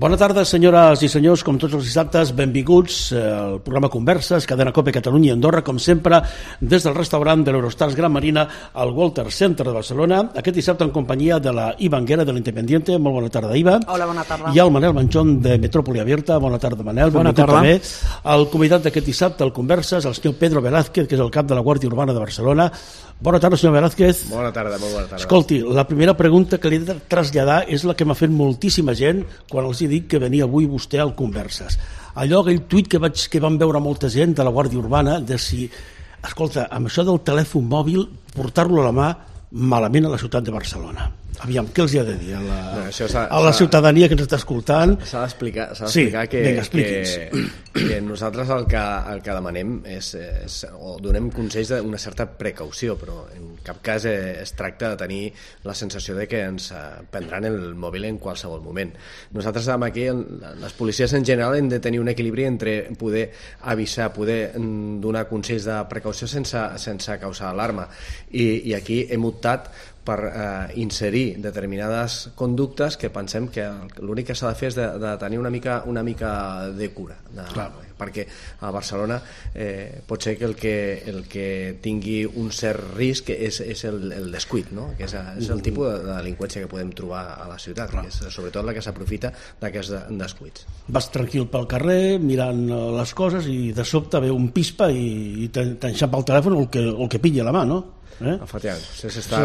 Bona tarda, senyores i senyors, com tots els dissabtes, benvinguts al programa Converses, Cadena Cope Catalunya i Andorra, com sempre, des del restaurant de l'Eurostars Gran Marina al Walter Center de Barcelona, aquest dissabte en companyia de la Iva Anguera de l'Independiente. Molt bona tarda, Iva. Hola, bona tarda. I el Manel Manchón de Metrópoli Abierta. Bona tarda, Manel. Bona tarda. També. El convidat d'aquest dissabte al Converses, el senyor Pedro Velázquez, que és el cap de la Guàrdia Urbana de Barcelona. Bona tarda, senyor Velázquez. Bona tarda, molt bona tarda. Escolti, la primera pregunta que li he de traslladar és la que m'ha fet moltíssima gent quan els he dit que venia avui vostè al Converses. Aquell tuit que van veure molta gent de la Guàrdia Urbana de si, escolta, amb això del telèfon mòbil, portar-lo a la mà malament a la ciutat de Barcelona. Aviam, què els hi ha de dir a la ciutadania que ens està escoltant? S'ha d'explicar que nosaltres el que demanem o donem consells d'una certa precaució, però en cap cas es tracta de tenir la sensació de que ens prendran el mòbil en qualsevol moment. Nosaltres aquí, les policies en general, hem de tenir un equilibri entre poder avisar, poder donar consells de precaució sense causar alarma, i aquí hem optat per inserir determinades conductes que pensem que l'únic que s'ha de fer és de tenir una mica de cura, perquè a Barcelona pot ser que el que tingui un cert risc és el descuit, no? Que és el tipus de delinqüència que podem trobar a la ciutat, que és sobretot la que s'aprofita d'aquests descuits. Vas tranquil pel carrer mirant les coses i de sobte ve un pispa i t'enxampa el telèfon o el que pilla a la mà, no? Efectivament, està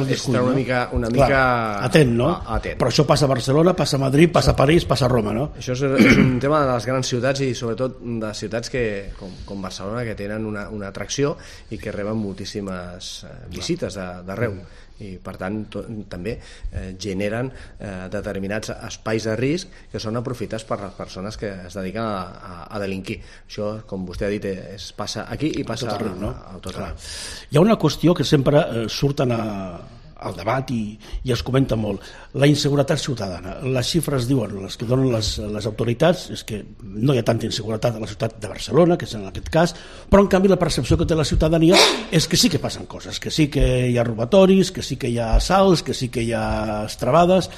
una mica atent, no? Atent. Però això passa a Barcelona, passa a Madrid, passa a París, passa a Roma, no? Això és un tema de les grans ciutats i sobretot de ciutats com Barcelona, que tenen una atracció i que reben moltíssimes visites d'arreu, i per tant també generen determinats espais de risc que són aprofitats per les persones que es dediquen a delinquir. Això, com vostè ha dit, passa aquí i passa a tot arreu. Hi ha una qüestió que sempre surten al debat i es comenta molt: la inseguretat ciutadana. Les xifres diuen, les que donen les autoritats, és que no hi ha tanta inseguretat a la ciutat de Barcelona, que és en aquest cas, però en canvi la percepció que té la ciutadania és que sí que passen coses, que sí que hi ha robatoris, que sí que hi ha assalts, que sí que hi ha estravades.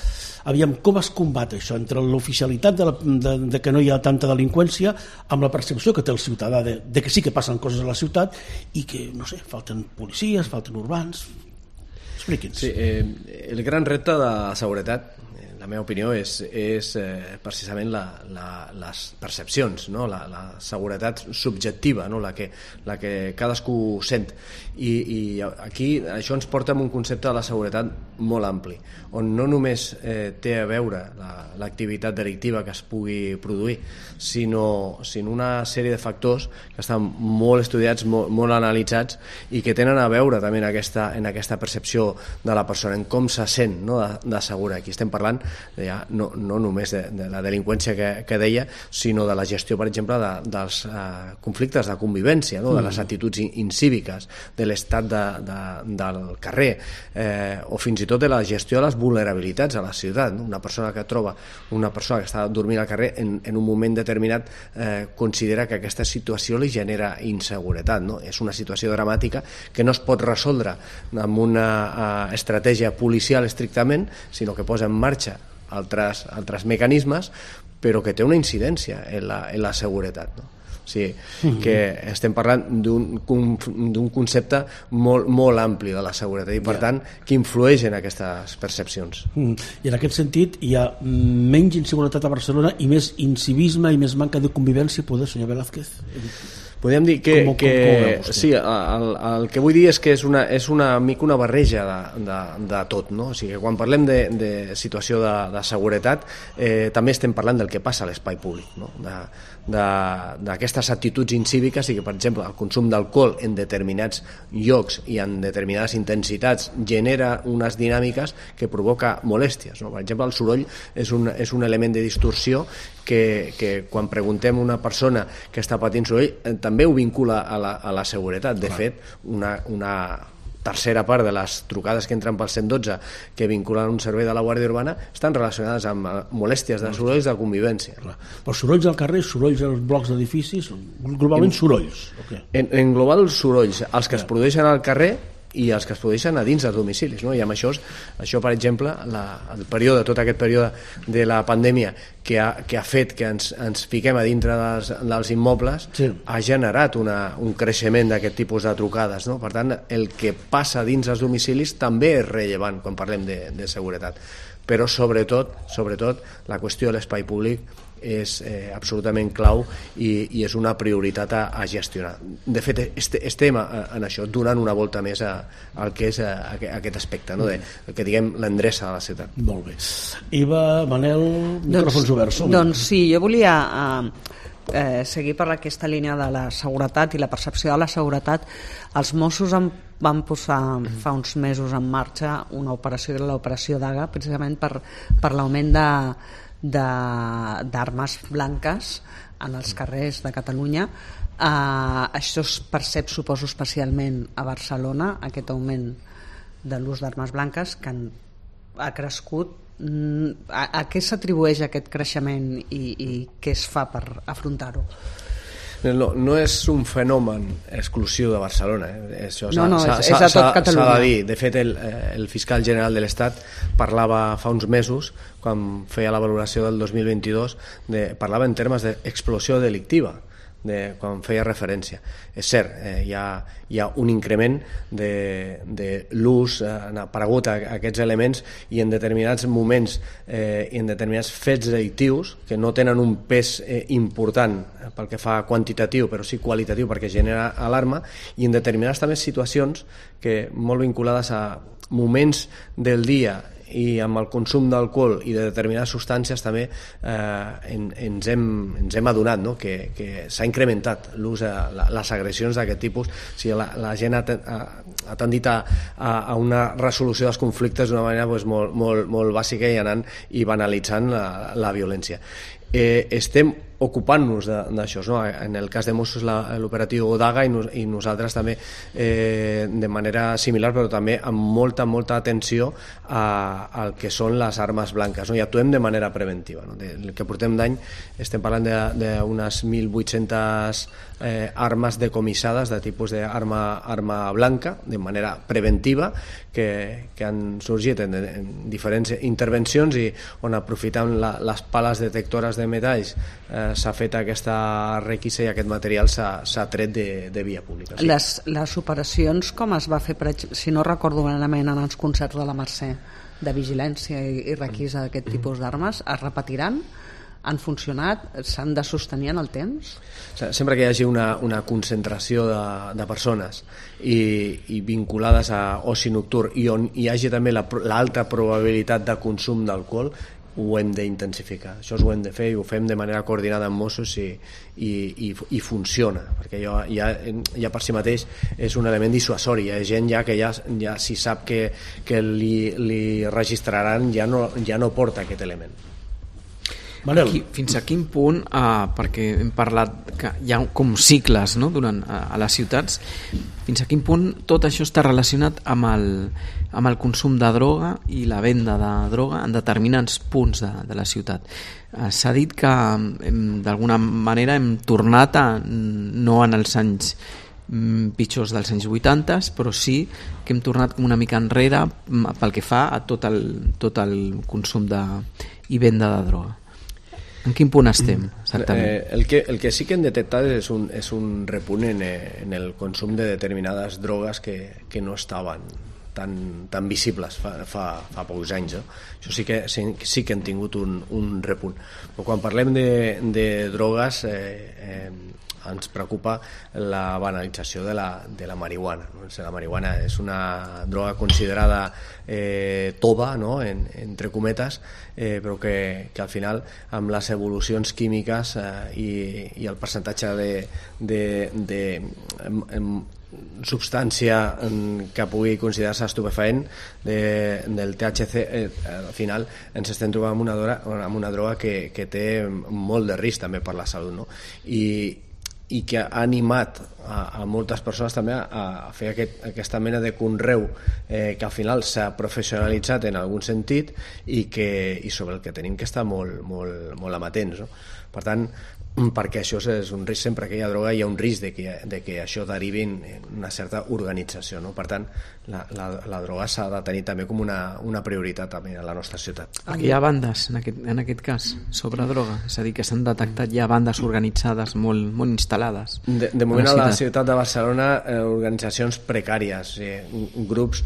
Aviam, com es combat això entre l'oficialitat de que no hi ha tanta delinqüència amb la percepció que té el ciutadà de que sí que passen coses a la ciutat i que, no sé, falten policies, falten urbans? Expliqui'ns. Sí, el gran repte de la seguretat, la meva opinió, és precisament les percepcions, no? La seguretat subjectiva, no? la que cadascú sent, i aquí això ens porta a un concepte de la seguretat molt ampli, on no només té a veure l'activitat delictiva que es pugui produir, sinó una sèrie de factors que estan molt estudiats, molt analitzats, i que tenen a veure també en aquesta percepció de la persona, en com se sent, no? de segura. Aquí estem parlant ja no només de la delinqüència que deia, sinó de la gestió, per exemple, dels conflictes de convivència, no? De les actituds incíviques, de l'estat del carrer, o fins i tot de la gestió de les vulnerabilitats a la ciutat, no? Una persona que troba una persona que està dormint al carrer en un moment determinat considera que aquesta situació li genera inseguretat, no? És una situació dramàtica que no es pot resoldre amb una estratègia policial estrictament, sinó que posa en marxa altres mecanismes, però que té una incidència en la seguretat, no? O sigui, que estem parlant d'un concepte molt ampli de la seguretat i, per tant, que influeix en aquestes percepcions. I en aquest sentit hi ha menys inseguretat a Barcelona i més incivisme i més manca de convivència, poder, senyor Velázquez? Podríem dir que sí, el que vull dir és que és una mica una barreja de tot, no? O sigui, quan parlem de situació de seguretat, també estem parlant del que passa a l'espai públic, no? D'aquestes actituds incíviques, i que, per exemple, el consum d'alcohol en determinats llocs i en determinades intensitats genera unes dinàmiques que provoca molèsties, no? Per exemple, el soroll és un element de distorsió que quan preguntem a una persona que està patint soroll també ho vincula a la seguretat. De fet, una tercera part de les trucades que entren pel 112 que vinculen un servei de la Guàrdia Urbana estan relacionades amb molèsties de sorolls de convivència. Però sorolls al carrer, sorolls als blocs d'edificis, globalment sorolls. En global, sorolls, els que es produeixen al carrer i els que es produeixen a dins dels domicilis, no? I amb això, per exemple, tot aquest període de la pandèmia que ha fet que ens fiquem a dintre dels immobles, ha generat un creixement d'aquest tipus de trucades, no? Per tant, el que passa dins els domicilis també és rellevant quan parlem de seguretat, però sobretot la qüestió de l'espai públic és absolutament clau i és una prioritat a gestionar. De fet, estem en això, donant una volta més al que és aquest aspecte, no? El que diguem l'endreça de la ciutat. Molt bé. Iva, Manel, micròfons oberts. Doncs sí, jo volia seguir per aquesta línia de la seguretat i la percepció de la seguretat. Els Mossos van posar fa uns mesos en marxa una operació, l'operació Daga, precisament per l'augment d'armes blanques en els carrers de Catalunya. Això es percep, suposo, especialment a Barcelona, aquest augment de l'ús d'armes blanques que ha crescut. A què s'atribueix aquest creixement i què es fa per afrontar-ho? No és un fenomen exclusiu de Barcelona, això és a tot Catalunya. S'ha de dir. De fet, el fiscal general de l'Estat parlava fa uns mesos, quan feia la valoració del 2022, parlava en termes d'explosió delictiva, quan feia referència. És cert, hi ha un increment de l'ús, han aparegut aquests elements i en determinats moments i en determinats fets delictius que no tenen un pes important pel que fa quantitatiu però sí qualitatiu perquè genera alarma, i en determinades també situacions que molt vinculades a moments del dia i amb el consum d'alcohol i de determinades substàncies també ens hem adonat, no? que s'ha incrementat l'ús, les agressions d'aquest tipus. O sigui, la gent ha tendit a una resolució dels conflictes d'una manera molt bàsica i anant i banalitzant la violència. Estem ocupant-nos d'això, no? En el cas de Mossos l'operatiu Daga i nosaltres també de manera similar, però també amb molta atenció al que són les armes blanques, no? I actuem de manera preventiva, no? El que portem d'any estem parlant d'unes 1.800 armes decomissades de tipus d'arma blanca de manera preventiva que han sorgit en diferents intervencions i on aprofitant les pales detectores de metalls s'ha fet aquesta requisa i aquest material s'ha tret de via pública. Sí. Les operacions com es va fer, si no recordo malament, en els concerts de la Mercè de vigilància i requisa d'aquest tipus d'armes, es repetiran? Han funcionat? S'han de sostenir en el temps? Sempre que hi hagi una concentració de persones i vinculades a oci nocturn i on hi hagi també l'alta probabilitat de consum d'alcohol, ho hem d'intensificar. Això ho hem de fer i ho fem de manera coordinada amb Mossos i funciona, perquè ja per si mateix és un element dissuasori. Hi ha gent que ja si sap que li registraran ja no porta aquest element. Fins a quin punt, perquè hem parlat que hi ha com cicles, no? A les ciutats, fins a quin punt tot això està relacionat amb el consum de droga i la venda de droga en determinats punts de la ciutat? S'ha dit que d'alguna manera hem tornat no en els anys pitjors dels anys 80, però sí que hem tornat com una mica enrere pel que fa a tot el consum i venda de droga. En quin punt estem, exactament? El que sí que hem detectat és un repunt en el consum de determinades drogues que no estaven tan visibles fa pocs anys. Això sí que hem tingut un repunt. Però quan parlem de drogues ens preocupa la banalització de la marihuana. La marihuana és una droga considerada tova, no? Entre cometes, però que al final amb les evolucions químiques i el percentatge de substància que pugui considerar-se estupefaent del THC, al final ens estem trobant amb una droga que té molt de risc també per la salut, no? I que ha animat a moltes persones també a fer aquesta mena de conreu que al final s'ha professionalitzat en algun sentit i sobre el que tenim que estar molt amatents, no? Per tant, perquè això és un risc. Sempre que hi ha droga hi ha un risc de que això derivi en una certa organització, no? Per tant, la droga s'ha de tenir també com una prioritat també a la nostra ciutat. Hi ha bandes en aquest cas sobre droga, és a dir, que s'han detectat ja bandes organitzades molt instal·lades. De moment a la ciutat de Barcelona organitzacions precàries, grups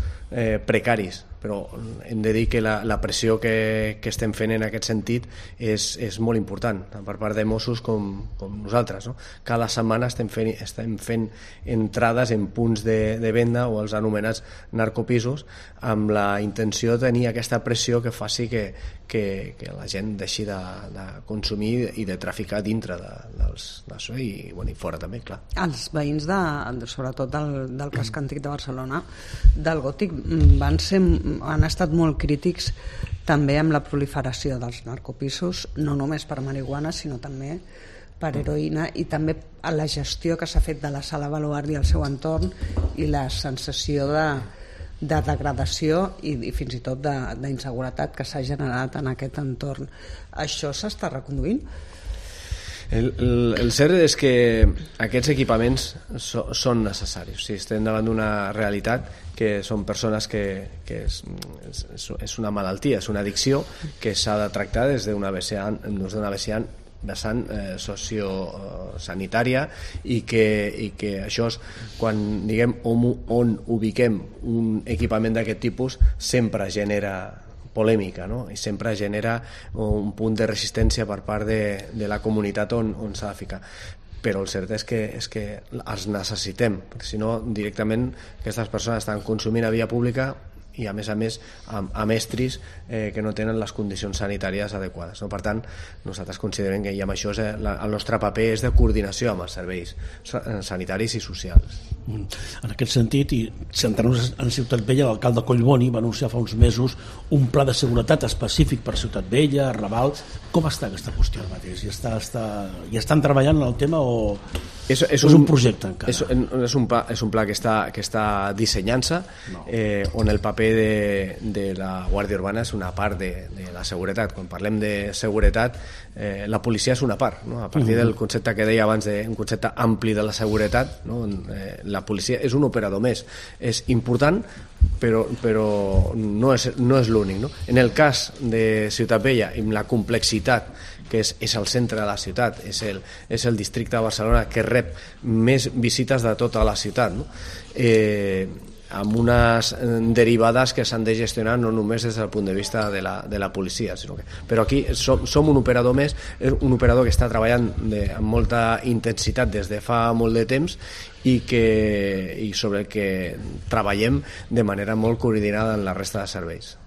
precaris, però hem de dir que la pressió que estem fent en aquest sentit és molt important, tant per part de Mossos com nosaltres, no? Cada setmana estem fent entrades en punts de venda o els anomenats narcopisos amb la intenció de tenir aquesta pressió que faci que la gent deixi de consumir i de traficar dintre d'això i fora també, clar. Els veïns sobretot del casc antic de Barcelona, del Gòtic, han estat molt crítics també amb la proliferació dels narcopisos, no només per marihuana sinó també per heroïna, i també a la gestió que s'ha fet de la Sala Baluard i el seu entorn i la sensació de degradació i fins i tot d'inseguretat que s'ha generat en aquest entorn. Això s'està reconduint? El cert és que aquests equipaments són necessaris. O sigui, estem davant d'una realitat que són persones que és una malaltia, és una addicció que s'ha de tractar des d'una vessant sociosanitària i que això és, quan diguem on ubiquem un equipament d'aquest tipus, sempre genera polèmica, no? I sempre genera un punt de resistència per part de la comunitat on s'ha de ficar. Però el cert és que els necessitem, perquè si no directament aquestes persones estan consumint a via pública i a més amb estris que no tenen les condicions sanitàries adequades, no? Per tant, nosaltres considerem que amb això el nostre paper és de coordinació amb els serveis sanitaris i socials. En aquest sentit, i centrant-nos en Ciutat Vella, l'alcalde Collboni va anunciar fa uns mesos un pla de seguretat específic per Ciutat Vella, Raval. Com està aquesta qüestió ara mateix? Ja estan treballant en el tema o és un projecte encara? És un pla que està dissenyant-se, on el paper de la Guàrdia Urbana és una part de la seguretat. Quan parlem de seguretat, la policia és una part, no? A partir del concepte que deia abans, un concepte ampli de la seguretat, no? La policia és un operador més, és important però no és l'únic, no? En el cas de Ciutat Vella, amb la complexitat que és el centre de la ciutat, és el districte de Barcelona que rep més visites de tota la ciutat, no? Amb unes derivades que s'han de gestionar no només des del punt de vista de la policia, sinó que... Però aquí som un operador més, un operador que està treballant amb molta intensitat des de fa molt de temps i sobre el que treballem de manera molt coordinada en la resta de serveis.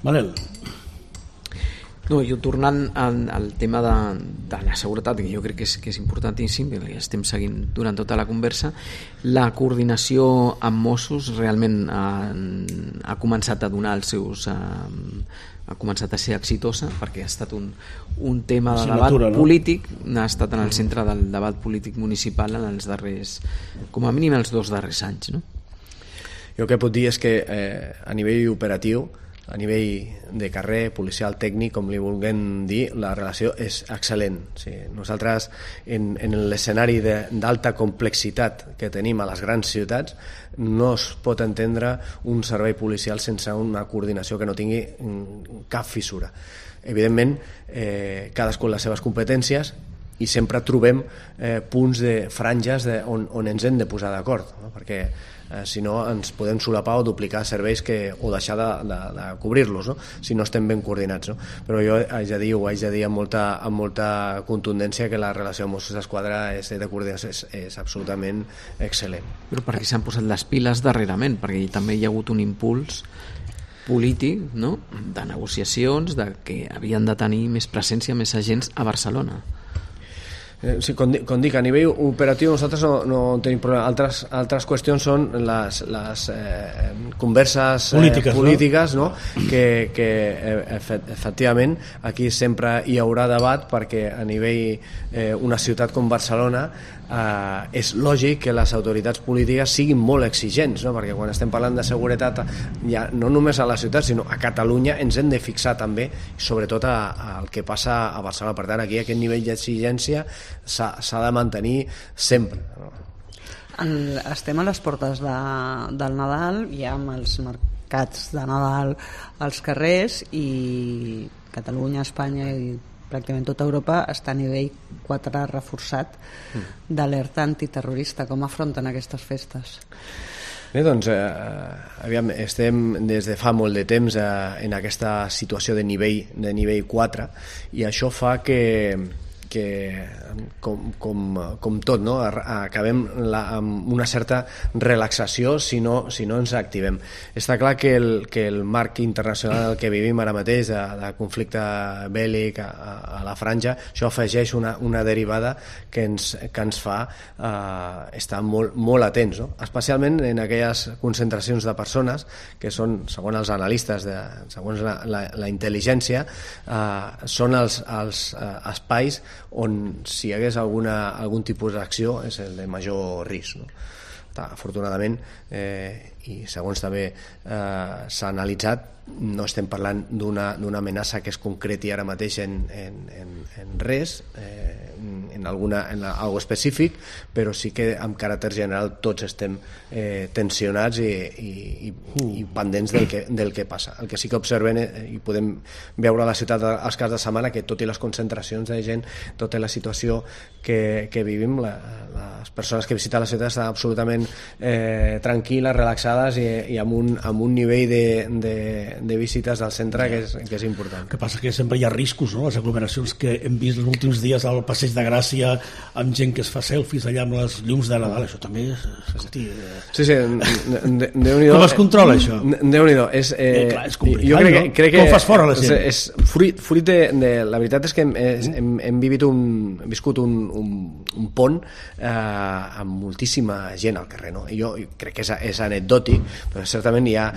Manel. No, jo tornant al tema de la seguretat, que jo crec que és importantíssim, que estem seguint durant tota la conversa, la coordinació amb Mossos realment ha començat a donar els seus... ha començat a ser exitosa, perquè ha estat un tema de debat polític, ha estat en el centre del debat polític municipal en els darrers, com a mínim els 2 darrers anys, no? Jo el que puc dir és que a nivell operatiu, a nivell de carrer, policial, tècnic, com li vulguem dir, la relació és excel·lent. Sí, nosaltres, en l'escenari d'alta complexitat que tenim a les grans ciutats, no es pot entendre un servei policial sense una coordinació que no tingui cap fissura. Evidentment, cadascú les seves competències, i sempre trobem punts de franges on ens hem de posar d'acord, no? Perquè si no ens podem solapar o duplicar serveis o deixar de cobrir-los, no? Si no estem ben coordinats, no? Però jo haig de dir amb molta contundència que la relació amb Mossos d'Esquadra de coordinació és absolutament excel·lent. Però perquè s'han posat les piles darrerament, perquè també hi ha hagut un impuls polític, no? De negociacions, de que havien de tenir més presència, més agents a Barcelona. Sí, com dic, a nivell operatiu nosaltres no tenim problema. Altres qüestions són les converses polítiques, no? que efectivament aquí sempre hi haurà debat, perquè a nivell una ciutat com Barcelona és lògic que les autoritats polítiques siguin molt exigents, no? Perquè quan estem parlant de seguretat ja no només a la ciutat sinó a Catalunya ens hem de fixar també sobretot al que passa a Barcelona. Per tant, aquí aquest nivell d'exigència s'ha de mantenir sempre, no? Estem a les portes del Nadal, ja amb els mercats de Nadal als carrers, i Catalunya, Espanya i pràcticament tota Europa està a nivell 4 reforçat d'alerta antiterrorista. Com afronten aquestes festes? Bé, doncs, aviam, estem des de fa molt de temps en aquesta situació de nivell 4, i això fa que com tot, no? Acabem amb una certa relaxació si no ens activem. Està clar que el marc internacional que vivim ara mateix de conflicte bèl·lic a la franja, això afegeix una derivada que ens fa estar molt atents, no? Especialment en aquelles concentracions de persones que són, segons els analistes, segons la intel·ligència, són els espais on si hi hagués algun tipus d'acció és el de major risc, no? Afortunadament, i segons també s'ha analitzat, no estem parlant d'una amenaça que es concreti ara mateix en res, en algo específic, però sí que amb caràcter general tots estem tensionats i pendents del que passa. El que sí que observem i podem veure a la ciutat als caps de setmana, que tot i les concentracions de gent, tota la situació que vivim, les persones que visiten la ciutat estan absolutament tranquil·les, relaxades i amb un nivell de visites al centre que és important. El que passa que sempre hi ha riscos, no? Les aglomeracions que hem vist els últims dies al Passeig de Gràcia, amb gent que es fa selfies allà amb les llums de Nadal, això també és... Sí, Déu-n'hi-do. Com es controla això? Déu-n'hi-do. Clar, és complicat, no? Crec que com fas fora la gent? És fruit de... La veritat és que hem viscut un pont amb moltíssima gent al carrer, no? Jo crec que és anecdòtic, però certament hi ha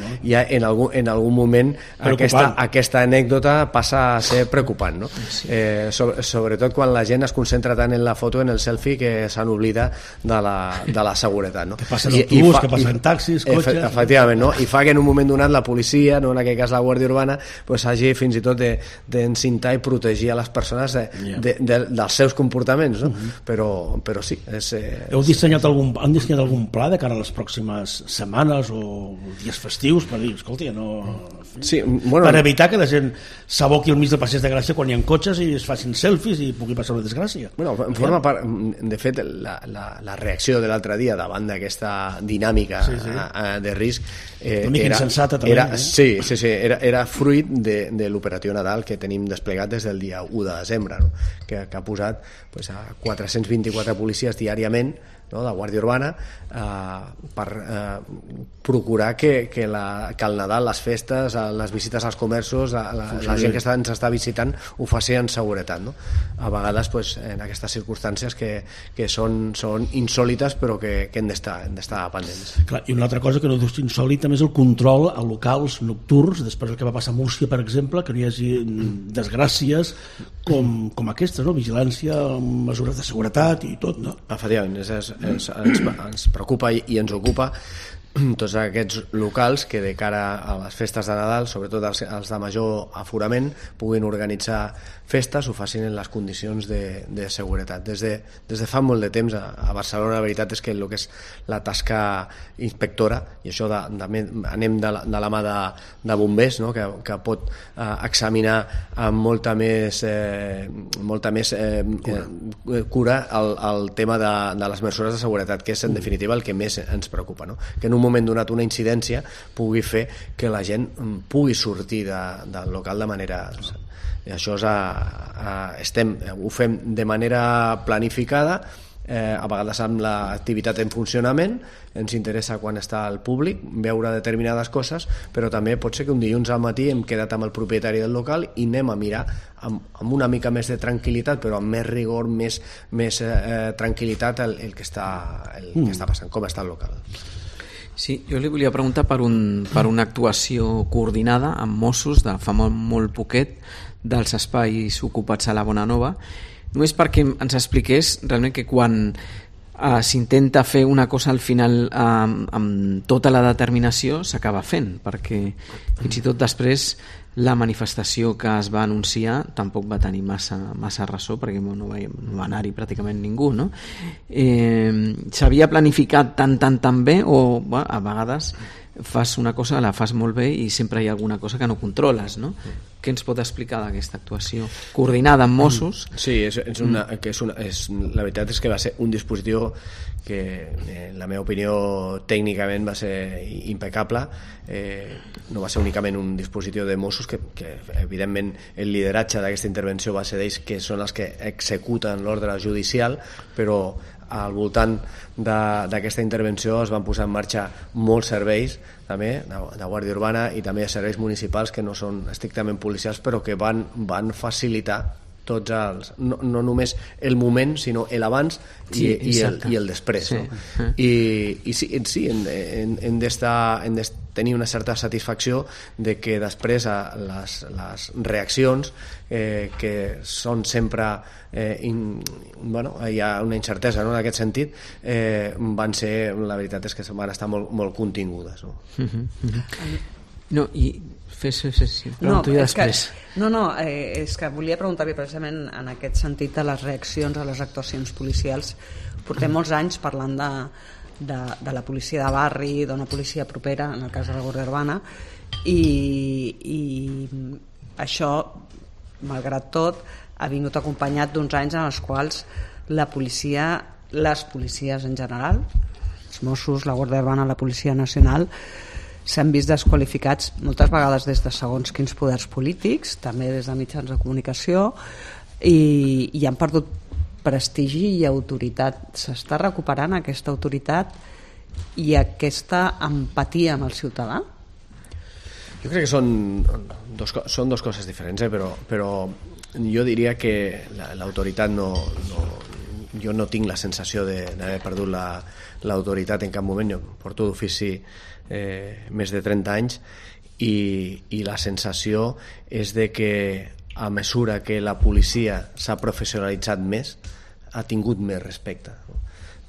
en algun moment aquesta anècdota passa a ser preocupant, no? Sí. Sobretot quan la gent es concentra tant en la foto, en el selfie, que s'han oblidat de la seguretat, no? Que passen autobús, que passen taxis, cotxes... Efectivament, no? I fa que en un moment donat la policia, no, en aquest cas la Guàrdia Urbana, pues, hagi fins i tot d'encintar i protegir a les persones dels seus comportaments, no? Però sí. Han dissenyat algun pla de cara a les pròximes setmanes o dies festius per dir, escolta, no... Sí, bueno, per evitar que la gent s'aboqui al mig del Passeig de Gràcia quan hi ha cotxes i es facin selfies i pugui passar una desgràcia. Bueno, forma part, de fet, la reacció de l'altre dia davant d'aquesta dinàmica de risc una mica insensata també. Era fruit de l'operatiu Nadal que tenim desplegat des del dia 1 de desembre, no? que ha posat a 424 policies diàriament, no, de Guàrdia Urbana, per procurar que el Nadal, les festes, les visites als comerços, la gent que ens està visitant ho faci en seguretat, no? A vegades en aquestes circumstàncies que són insòlites però que hem d'estar pendents. Clar, i una altra cosa que no és insòlita és el control a locals nocturns, després del que va passar a Múrcia, per exemple, que no hi hagi desgràcies com aquestes, no? Vigilància, mesures de seguretat i tot, no? Efectivament, ens preocupa i ens ocupa tots aquests locals que de cara a les festes de Nadal, sobretot els de major aforament, puguin organitzar festes, ho facin en les condicions de seguretat. Des de fa molt de temps a Barcelona la veritat és que el que és la tasca inspectora, i això anem de la mà de bombers, no? que pot examinar amb molta més cura el tema de les mesures de seguretat, que és en definitiva el que més ens preocupa, no? Que en un moment donat una incidència pugui fer que la gent pugui sortir del local de manera... I això ho fem de manera planificada a vegades amb l'activitat en funcionament, ens interessa quan està al públic veure determinades coses, però també pot ser que un dilluns al matí hem quedat amb el propietari del local i anem a mirar amb una mica més de tranquil·litat, però amb més rigor, més tranquil·litat el que està passant, com està el local. Sí, jo li volia preguntar per una actuació coordinada amb Mossos de fa molt poquet dels espais ocupats a la Bonanova, només perquè ens expliqués realment que quan s'intenta fer una cosa al final amb tota la determinació s'acaba fent, perquè fins i tot després la manifestació que es va anunciar tampoc va tenir massa ressò, perquè no va anar-hi pràcticament ningú, no? S'havia planificat tan bé, o a vegades fas una cosa, la fas molt bé i sempre hi ha alguna cosa que no controles, no? Què ens pot explicar d'aquesta actuació coordinada amb Mossos? Sí, la veritat és que va ser un dispositiu que en la meva opinió tècnicament va ser impecable. No va ser únicament un dispositiu de Mossos, que evidentment el lideratge d'aquesta intervenció va ser d'ells, que són els que executen l'ordre judicial, però al voltant d'aquesta intervenció es van posar en marxa molts serveis també de Guàrdia Urbana i també serveis municipals que no són estrictament policials, però que van facilitar tots els, no només el moment, sinó l'abans i el després, sí. No? I sí, hem de tenir una certa satisfacció de que després les reaccions que són sempre hi ha una incertesa, no? En aquest sentit van ser, la veritat és que van estar molt contingudes, no? No, i pregunto després. És que volia preguntar-li precisament en aquest sentit de les reaccions a les actuacions policials. Portem molts anys parlant de la policia de barri, d'una policia propera, en el cas de la Guàrdia Urbana, i això, malgrat tot, ha vingut acompanyat d'uns anys en els quals les policies en general, els Mossos, la Guàrdia Urbana, la Policia Nacional, s'han vist desqualificats moltes vegades des de segons quins poders polítics, també des de mitjans de comunicació, i han perdut prestigi i autoritat. S'està recuperant aquesta autoritat i aquesta empatia amb el ciutadà? Jo crec que són dos coses diferents, però jo diria que l'autoritat jo no tinc la sensació d'haver perdut l'autoritat en cap moment. Jo porto d'ofici més de 30 anys i la sensació és de que a mesura que la policia s'ha professionalitzat més, ha tingut més respecte.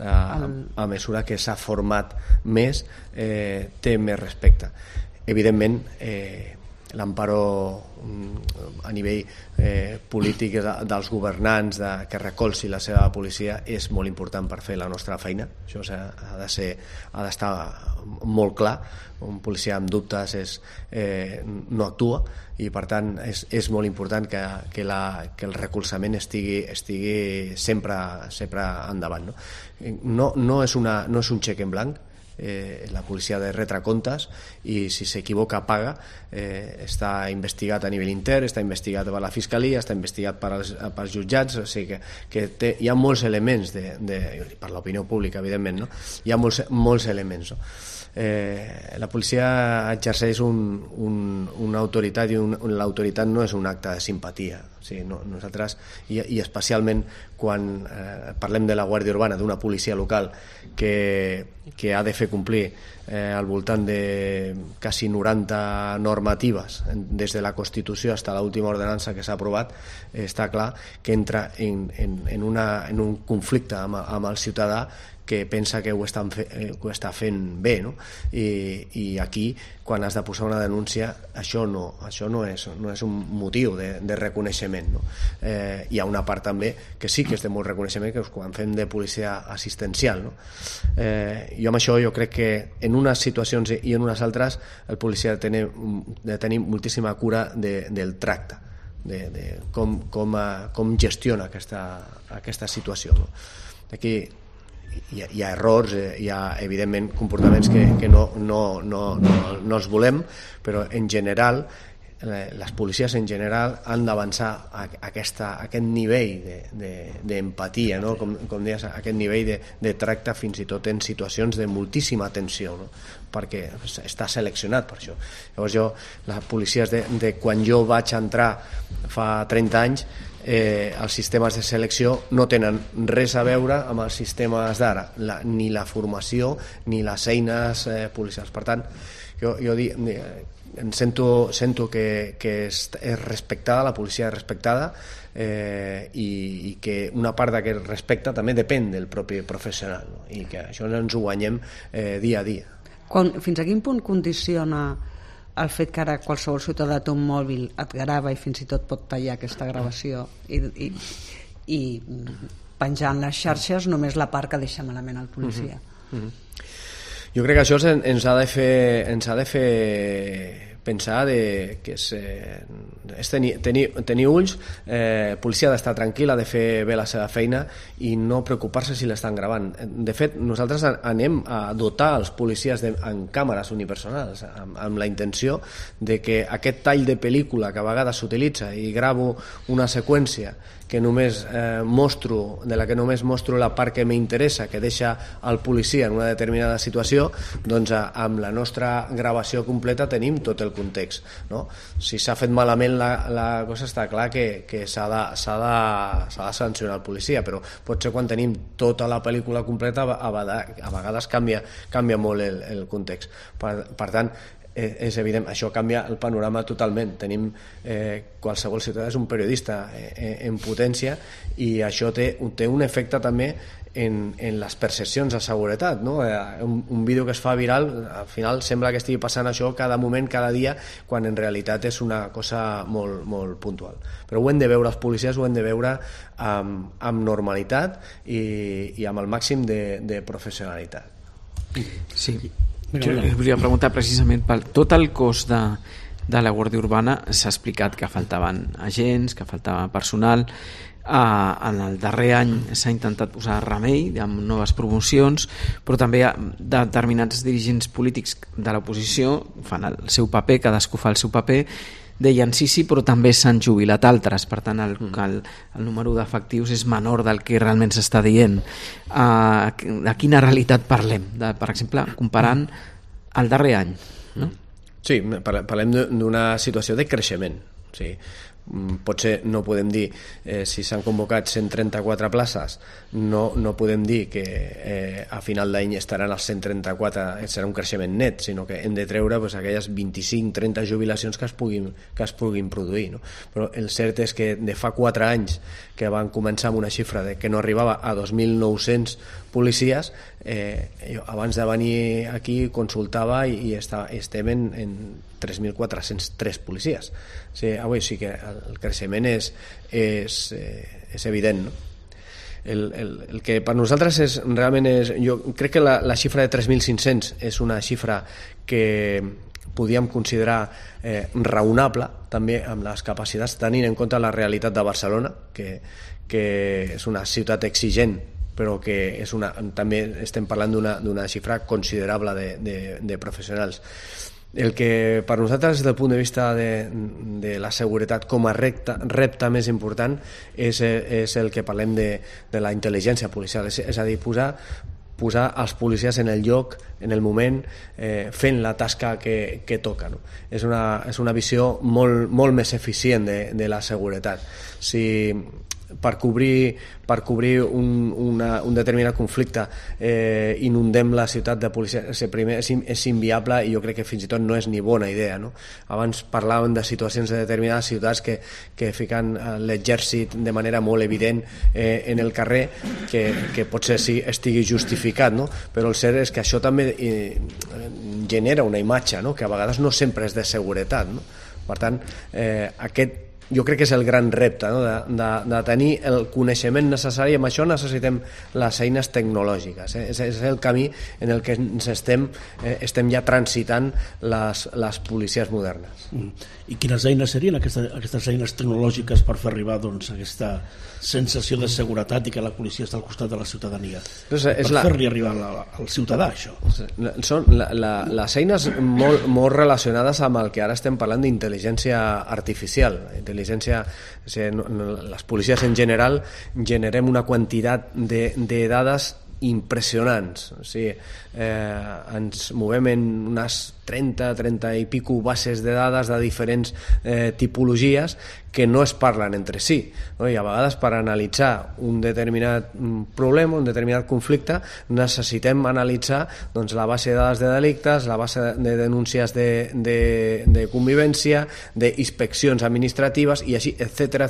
A mesura que s'ha format més, té més respecte. Evidentment, l'amparo a nivell polític dels governants que recolzi la seva policia és molt important per fer la nostra feina. Això ha d'estar molt clar. Un policia amb dubtes no actua i per tant és molt important que el recolzament estigui sempre endavant. No és un xec en blanc. La policia ha de retre comptes i si s'equivoca paga. Està investigat a nivell intern, està investigat per la Fiscalia, està investigat pels jutjats, o sigui que hi ha molts elements per l'opinió pública, evidentment, no? Hi ha molts elements, no? La policia exerceix una autoritat i l'autoritat no és un acte de simpatia. O sigui, nosaltres, i especialment quan parlem de la Guàrdia Urbana, d'una policia local que ha de fer complir al voltant de quasi 90 normatives des de la Constitució fins a l'última ordenança que s'ha aprovat, està clar que entra en un conflicte amb el ciutadà que pensa que ho està fent bé, no? I aquí, quan has de posar una denúncia, això no és un motiu de reconeixement, no? Hi ha una part també que sí que és de molt reconeixement, que és quan fem de policia assistencial, no? Jo amb això crec que en unes situacions i en unes altres el policia ha de tenir moltíssima cura del tracte, de com gestiona aquesta situació, no? Aquí hi ha errors, hi ha evidentment comportaments que no els volem, però en general les policies en general han d'avançar a aquest nivell d'empatia, no? Com deies, aquest nivell de tracte fins i tot en situacions de moltíssima tensió, no? Perquè està seleccionat per això. Llavors les policies de quan jo vaig entrar fa 30 anys, els sistemes de selecció no tenen res a veure amb els sistemes d'ara, ni la formació ni les eines policials. Per tant, jo em sento que és respectada, la policia és respectada, i que una part d'aquest respecte també depèn del propi professional, no? I que això ens ho guanyem dia a dia. Fins a quin punt condiciona el fet que ara qualsevol ciutadà té un mòbil, et grava i fins i tot pot tallar aquesta gravació i penjar en les xarxes només la part que deixa malament el policia? Jo crec que això ens ha de fer pensar que és tenir ulls, policia ha d'estar tranquil, ha de fer bé la seva feina i no preocupar-se si l'estan gravant. De fet, nosaltres anem a dotar els policies amb càmeres unipersonals amb la intenció de que aquest tall de pel·lícula que a vegades s'utilitza i gravo una seqüència de la que només mostro la part que m'interessa, que deixa el policia en una determinada situació, doncs amb la nostra gravació completa tenim tot el context, no? Si s'ha fet malament la cosa, està clar que s'ha de sancionar el policia, però potser quan tenim tota la pel·lícula completa a vegades canvia molt el context. Per tant, és evident, això canvia el panorama totalment. Tenim qualsevol ciutadà és un periodista en potència i això té un efecte també en les percepcions de seguretat, no? Un vídeo que es fa viral al final sembla que estigui passant això cada moment, cada dia, quan en realitat és una cosa molt, molt puntual. Però ho hem de veure, els policies ho hem de veure amb normalitat i amb el màxim de professionalitat. Sí. Jo volia preguntar precisament per tot el cos de la Guàrdia Urbana. S'ha explicat que faltaven agents, que faltava personal. En el darrer any s'ha intentat posar remei amb noves promocions, però també determinats dirigents polítics de l'oposició fan el seu paper, cadascú fa el seu paper, deien sí, però també s'han jubilat altres, per tant el número d'efectius és menor del que realment s'està dient. De quina realitat parlem? Per exemple, comparant el darrer any, no? Sí, parlem d'una situació de creixement. Sí. Potser no podem dir si s'han convocat 134 places, no podem dir que a final d'any estaran els 134, serà un creixement net, sinó que hem de treure aquelles 25-30 jubilacions que es puguin produir, no? Però el cert és que de fa 4 anys que van començar amb una xifra que no arribava a 2.900 policies, jo abans de venir aquí consultava i estem en 3.403 policies. Sí que el creixement és evident, no? El que per nosaltres realment jo crec que la xifra de 3.500 és una xifra que podíem considerar raonable també amb les capacitats, tenint en compte la realitat de Barcelona, que és una ciutat exigent, però que també estem parlant d'una xifra considerable de professionals. El que per nosaltres, des del punt de vista de la seguretat com a repte més important, és el que parlem de la intel·ligència policial, és a dir, posar els policies en el lloc, en el moment, fent la tasca que toca, no? És una visió molt més eficient de la seguretat. Si per cobrir un determinat conflicte inundem la ciutat de policia, primer és inviable i jo crec que fins i tot no és ni bona idea, no? Abans parlàvem de situacions de determinades ciutats que fiquen l'exèrcit de manera molt evident en el carrer, que potser sí estigui justificat, no? Però el cert és que això també genera una imatge, no? Que a vegades no sempre és de seguretat, no? Per tant, aquest jo crec que és el gran repte, no? de tenir el coneixement necessari. Amb això necessitem les eines tecnològiques, és el camí en el que ens estem ja transitant les policies modernes. I quines eines serien aquestes eines tecnològiques per fer arribar aquesta sensació de seguretat i que la policia està al costat de la ciutadania, per fer-li arribar al ciutadà això? Són les eines molt relacionades amb el que ara estem parlant d'intel·ligència artificial. Les policies en general generem una quantitat de dades impressionants. O sigui, ens movem en unes 30 i pico bases de dades de diferents tipologies que no es parlen entre si, no? I a vegades per analitzar un determinat problema, un determinat conflicte, necessitem analitzar doncs, la base de dades de delictes, la base de denúncies de convivència, d'inspeccions administratives i així, etc.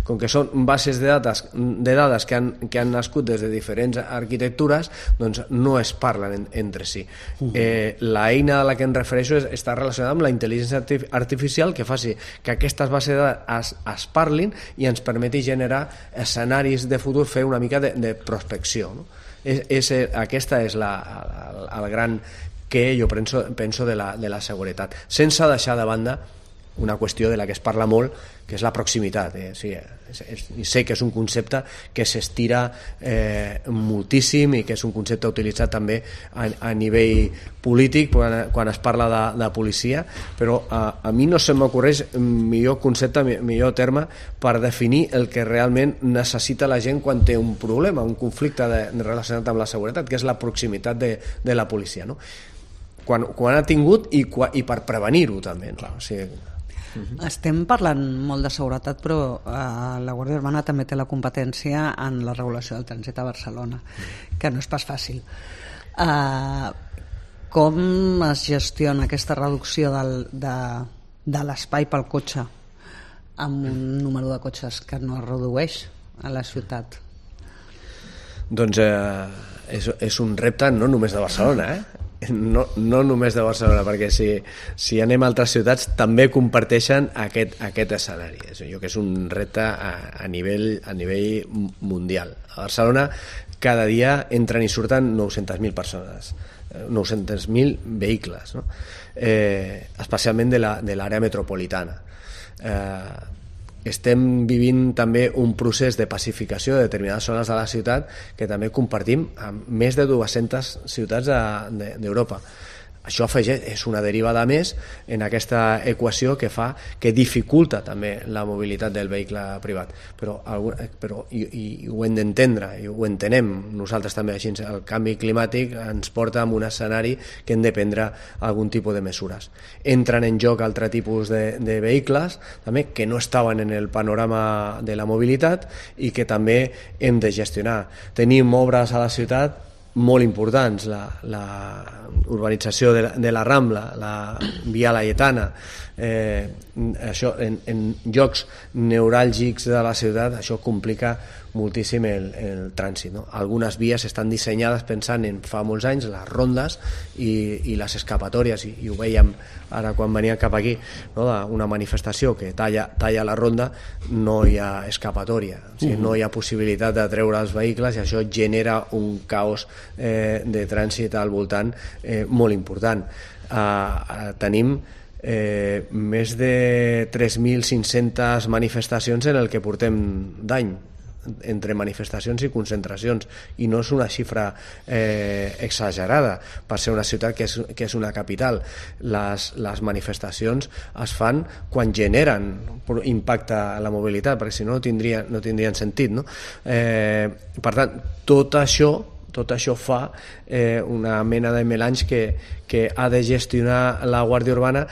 Com que són bases de dades que han nascut des de diferents arquitectures, doncs no es parlen entre si. L'eina a la que em refereixo està relacionada amb la intel·ligència artificial que faci que aquestes bases de dades es parlin i ens permeti generar escenaris de futur, fer una mica de prospecció, no? Aquesta és el gran que jo penso de la seguretat, sense deixar de banda una qüestió de la que es parla molt, que és la proximitat. Sé que és un concepte que s'estira moltíssim i que és un concepte utilitzat també a nivell polític quan es parla de policia, però a mi no se m'ocorreix millor concepte, millor terme per definir el que realment necessita la gent quan té un problema, un conflicte relacionat amb la seguretat, que és la proximitat de la policia, no? Quan ha tingut i per prevenir-ho també, no? O sigui, estem parlant molt de seguretat, però la Guàrdia Urbana també té la competència en la regulació del trànsit a Barcelona, que no és pas fàcil. Com es gestiona aquesta reducció de l'espai pel cotxe amb un número de cotxes que no es redueix a la ciutat? Doncs és un repte no només de Barcelona, no només de Barcelona, perquè si anem a altres ciutats també comparteixen aquest escenari. Jo crec que és un repte a nivell mundial. A Barcelona cada dia entren i surten 900.000 persones, 900.000 vehicles, no? Especialment de l'àrea metropolitana. Estem vivint també un procés de pacificació de determinades zones de la ciutat que també compartim amb més de 200 ciutats d'Europa. Això és una derivada més en aquesta equació que dificulta també la mobilitat del vehicle privat, però i ho hem d'entendre i ho entenem nosaltres també així. El canvi climàtic ens porta a un escenari que hem de prendre algun tipus de mesures. Entren en joc altre tipus de vehicles també que no estaven en el panorama de la mobilitat i que també hem de gestionar. Tenim obres a la ciutat molt importants, la urbanització de la Rambla, la Via Laietana, això en llocs neuràlgics de la ciutat, això complica moltíssim el trànsit, no? Algunes vies estan dissenyades pensant en fa molts anys, les rondes i les escapatòries, i ho veiem ara quan veníem cap aquí, no? Una manifestació que talla la ronda, no hi ha escapatòria, o sigui, no hi ha possibilitat de treure els vehicles i això genera un caos de trànsit al voltant molt important. Tenim més de 3.500 manifestacions en el que portem d'any, entre manifestacions i concentracions, i no és una xifra exagerada per ser una ciutat que és una capital. Les manifestacions es fan quan generen impacte a la mobilitat, perquè si no tindrien sentit, no? Per tant, tot això fa una mena de melange que ha de gestionar la Guàrdia Urbana,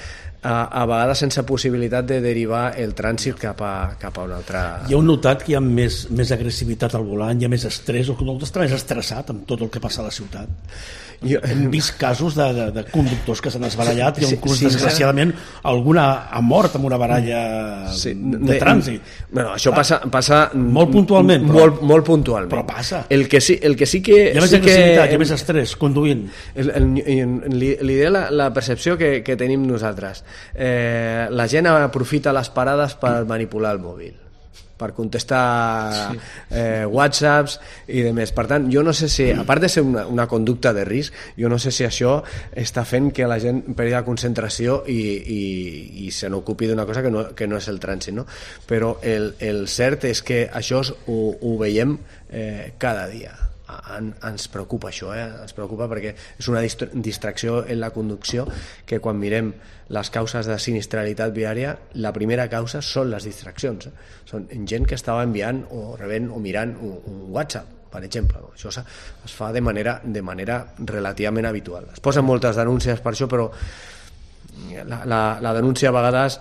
a vegades sense possibilitat de derivar el trànsit cap a un altre... Hi ha notat que hi ha més agressivitat al volant, hi ha més estrès, el conductor està més estressat amb tot el que passa a la ciutat. Hem vist casos de conductors que s'han esbarallat i inclús desgraciadament alguna ha mort amb una baralla de trànsit. Bueno, això passa molt puntualment, molt puntualment. Però passa. El que sí que hi ha més agressivitat, hi ha més estrès conduint. L'idea, la percepció que tenim nosaltres, la gent aprofita les parades per manipular el mòbil, per contestar whatsapps i demés. Per tant, jo no sé si, a part de ser una conducta de risc, jo no sé si això està fent que la gent perdi la concentració i se n'ocupi d'una cosa que no és el trànsit, no? Però el cert és que això ho veiem cada dia. Ens preocupa això, ens preocupa perquè és una distracció en la conducció, que quan mirem les causes de sinistralitat viària, la primera causa són les distraccions. Són gent que estava enviant o rebent o mirant un WhatsApp, per exemple. Això es fa de manera relativament habitual. Es posen moltes denúncies per això, però la denúncia a vegades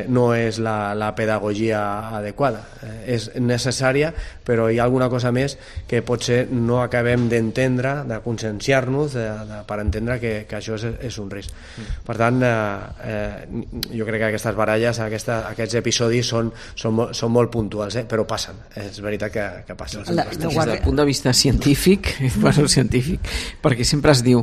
no és la pedagogia adequada. És necessària, però hi ha alguna cosa més que potser no acabem d'entendre, de conscienciar-nos per entendre que això és un risc. Per tant, jo crec que aquestes baralles, aquests episodis són molt puntuals, però passen, és veritat que passen. Des del punt de vista científic, perquè sempre es diu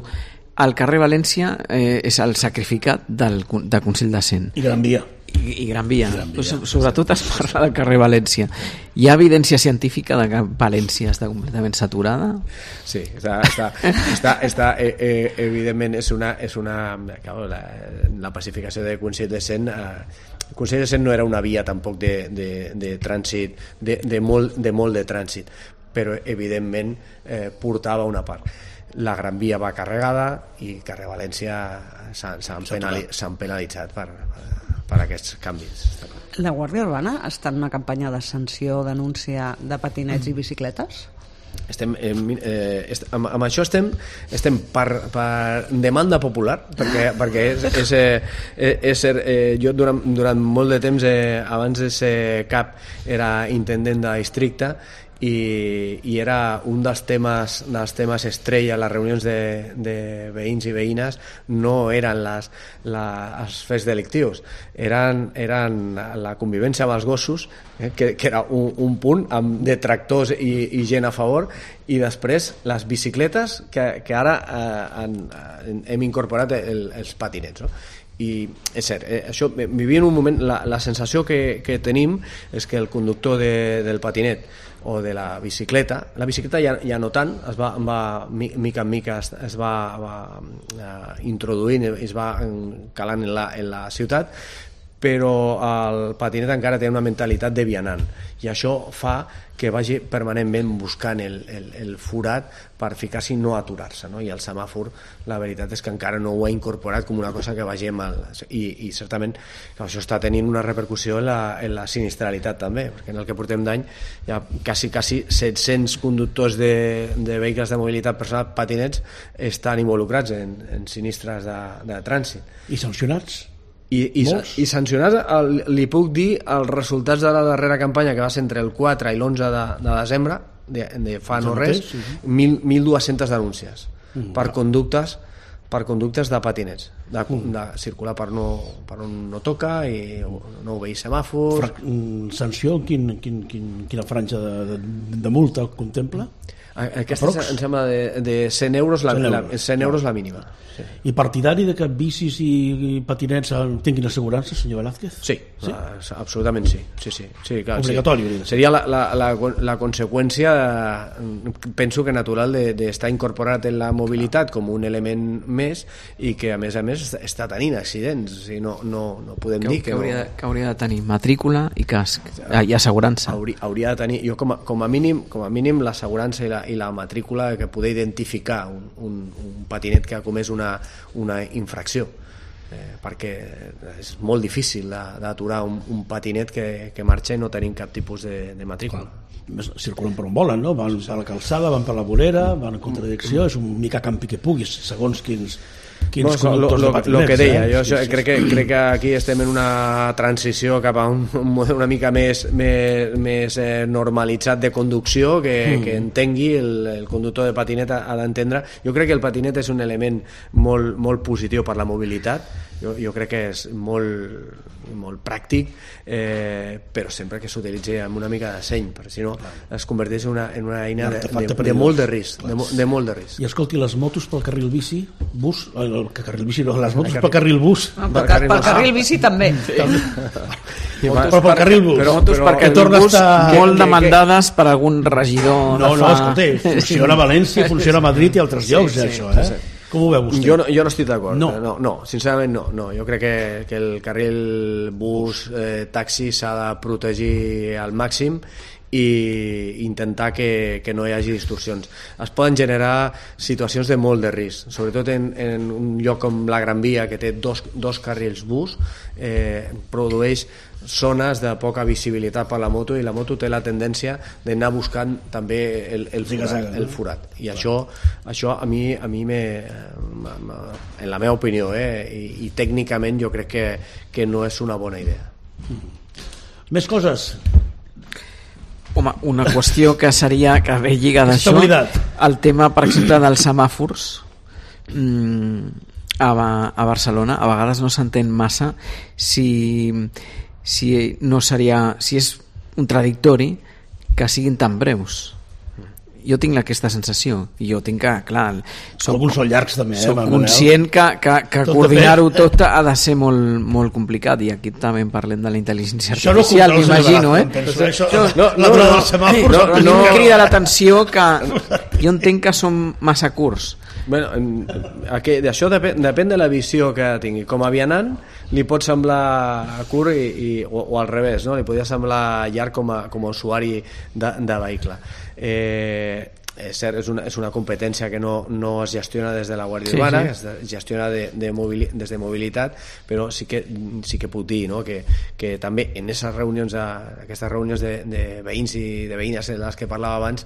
el carrer València és el sacrificat del Consell de Cent. I Gran Via. I Gran Via. Sobretot es parla del carrer València. Hi ha evidència científica de que València està completament saturada? Sí, està evidentment és una la pacificació del Consell de Cent. El Consell de Cent no era una via tampoc de trànsit, de molt de trànsit, però evidentment portava una part. La Gran Via va carregada i carrer València s'han penalitzat per aquests canvis. La Guàrdia Urbana està en una campanya de sanció, denúncia de patinets i bicicletes? Amb això estem per demanda popular, perquè jo durant molt de temps, abans de ser cap, era intendent de districte, i era un dels temes estrella a les reunions de veïns i veïnes. No eren els fets delictius, eren la convivència amb els gossos, que era un punt amb detractors i gent a favor, i després les bicicletes, que ara hem incorporat els patinets, no? I és cert, això, vivim un moment, la sensació que tenim és que el conductor del patinet o de la bicicleta ja no tant, mica en mica es va introduint, es va calant en la ciutat, però el patinet encara té una mentalitat de vianant, i això fa que vagi permanentment buscant el forat per ficar-s'hi i no aturar-se, no? I el semàfor, la veritat és que encara no ho ha incorporat com una cosa que vagi i certament que això està tenint una repercussió en la sinistralitat també, perquè en el que portem d'any hi ha quasi 700 conductors de vehicles de mobilitat personal, patinets, estan involucrats en sinistres de trànsit. I sancionats? I sancionats, li puc dir els resultats de la darrera campanya, que va ser entre el 4 i l'11 de desembre, de fa no res, 1.200 denúncies per conductes de patinets, de circular per on no toca i no obeir semàfors. Sanció, quina franja de multa contempla? Aquesta em sembla de 100 euros la mínima. Sí. I partidari de que bicis i patinets tinguin assegurança, senyor Velázquez? Sí, absolutament sí. Clar, obligatori. Sí. Seria la conseqüència, penso que natural, d'estar incorporat en la mobilitat com un element més, i que a més està tenint accidents. O sigui, no podem dir que hauria de tenir matrícula i casc i assegurança. Hauria de tenir, jo com a mínim l'assegurança i la matrícula, que poder identificar un patinet que ha comès una infracció, perquè és molt difícil d'aturar un patinet que marxa no tenint cap tipus de matrícula. Circulen per on volen, no? Van per la calçada, van per la vorera, van en contradicció, és un mica campi que puguis, segons quins conductors de patinets. El que deia, jo crec que aquí estem en una transició cap a un model una mica més normalitzat de conducció, que entengui el conductor de patinet ha d'entendre. Jo crec que el patinet és un element molt positiu per la mobilitat, jo crec que és molt pràctic, però sempre que s'utilitzi amb una mica de seny, perquè si no es converteix en una eina de molt de risc, de molt de risc. I escolti, les motos pel carril bici, bus, carril bici no, les motos pel carril bus. Pel carril bici també. Però pel carril bus. Motos per carril bus molt demandades per algun regidor. No, escolta, funciona a València, funciona a Madrid i altres llocs, això, Com ho veu vostè? Jo no estic d'acord. No, sincerament no. Jo crec que el carril bus, taxi s'ha de protegir al màxim i intentar que no hi hagi distorsions. Es poden generar situacions de molt de risc, sobretot en un lloc com la Gran Via, que té dos carrils bus, produeix zones de poca visibilitat per la moto, i la moto té la tendència d'anar buscant també el forat, i això a mi en la meva opinió, i tècnicament jo crec que no és una bona idea. Més coses? Home, una qüestió que seria, que ve lligada a això, el tema, per exemple, dels semàfors a Barcelona. A vegades no s'entén massa si és contradictori que siguin tan breus. Jo tinc aquesta sensació, i jo tinc que, clar, alguns són llargs també, soc conscient que coordinar-ho tot ha de ser molt complicat, i aquí també parlem de la intel·ligència artificial, m'imagino, no em crida l'atenció que jo entenc que són massa curts. Això depèn de la visió que tingui. Com a vianant li pot semblar curt o al revés, no? Li podria semblar llarg com a usuari de vehicle. És cert, és una competència que no es gestiona des de la Guàrdia Urbana, es gestiona des de mobilitat, però sí que puc dir, no? que també en aquestes reunions de veïns i de veïnes en les que parlava abans,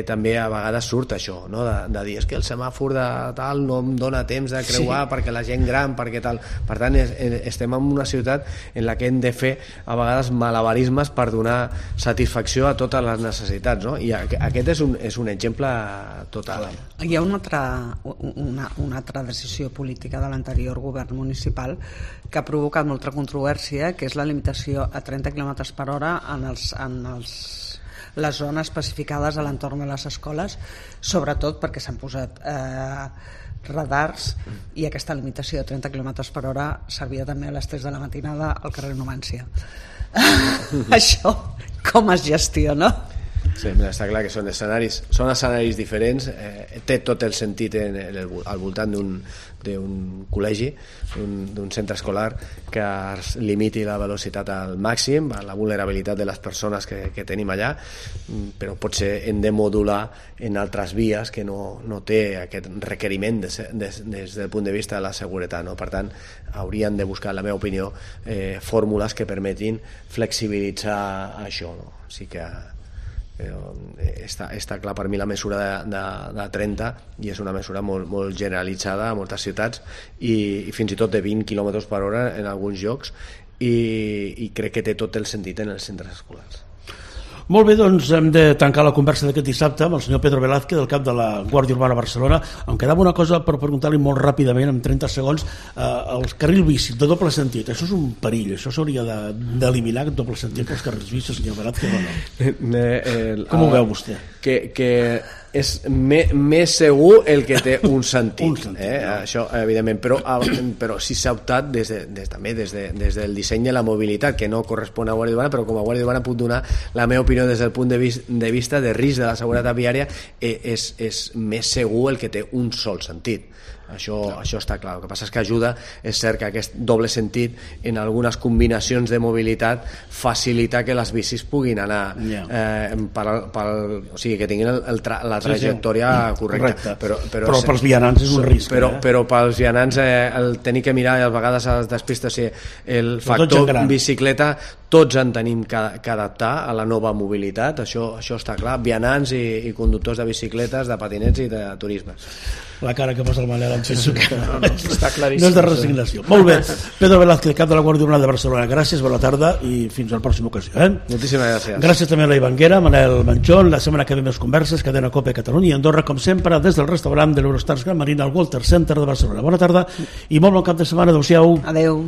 també a vegades surt això, no? de dir, és que el semàfor de tal no em dona temps de creuar perquè la gent gran, perquè tal. Per tant, estem en una ciutat en la que hem de fer a vegades malabarismes per donar satisfacció a totes les necessitats, no? I aquest és un exemple total. Hi ha una altra decisió política de l'anterior govern municipal que ha provocat molta controvèrsia, que és la limitació a 30 km per hora en les zones especificades a l'entorn de les escoles, sobretot perquè s'han posat radars, i aquesta limitació de 30 km per hora servia també a les 3 de la matinada al carrer Numància. Això com es gestiona? Sí, està clar que són escenaris diferents, té tot el sentit al voltant d'un col·legi, d'un centre escolar, que es limiti la velocitat al màxim, la vulnerabilitat de les persones que tenim allà, però potser hem de modular en altres vies que no té aquest requeriment des del punt de vista de la seguretat, no? Per tant, haurien de buscar, en la meva opinió, fórmules que permetin flexibilitzar això, no? O sigui que està clar per mi la mesura de 30, i és una mesura molt generalitzada a moltes ciutats, i fins i tot de 20 km per hora en alguns llocs, i crec que té tot el sentit en els centres escolars. Molt bé, doncs hem de tancar la conversa d'aquest dissabte amb el senyor Pedro Velázquez, del cap de la Guàrdia Urbana Barcelona. Em quedava una cosa per preguntar-li molt ràpidament, en 30 segons. El carril bici de doble sentit, això és un perill, això s'hauria d'eliminar, aquest doble sentit pels carrils bici, senyor Velázquez, o no? Com ho veu vostè? Que és més segur el que té un sentit, això evidentment, però sí s'ha optat també des del disseny de la mobilitat, que no correspon a Guàrdia Urbana, però com a Guàrdia Urbana puc donar la meva opinió des del punt de vista de risc de la seguretat viària. És més segur el que té un sol sentit. Això està clar. El que passa és que ajuda, és cert que aquest doble sentit en algunes combinacions de mobilitat facilita que les bicis puguin anar o sigui, que tinguin la trajectòria correcta. Però pels vianants és un risc. Però pels vianants el tenir que mirar, i a vegades es despista, el factor bicicleta tots en tenim que adaptar a la nova mobilitat, això està clar, vianants i conductors de bicicletes, de patinets i de turisme. La cara que posa el Manel em penso que està claríssim. No és de resignació. Molt bé, Pedro Velázquez, cap de la Guàrdia Urbana de Barcelona, gràcies, bona tarda i fins a la pròxima ocasió. Moltíssimes gràcies. Gràcies també a la Ivanguera, Manel Manchón. La setmana que ve més converses, Cadena Cope Catalunya i Andorra, com sempre, des del restaurant de l'Eurostars Gran Marina al Walter Center de Barcelona. Bona tarda i molt bon cap de setmana. Adéu-siau. Adéu.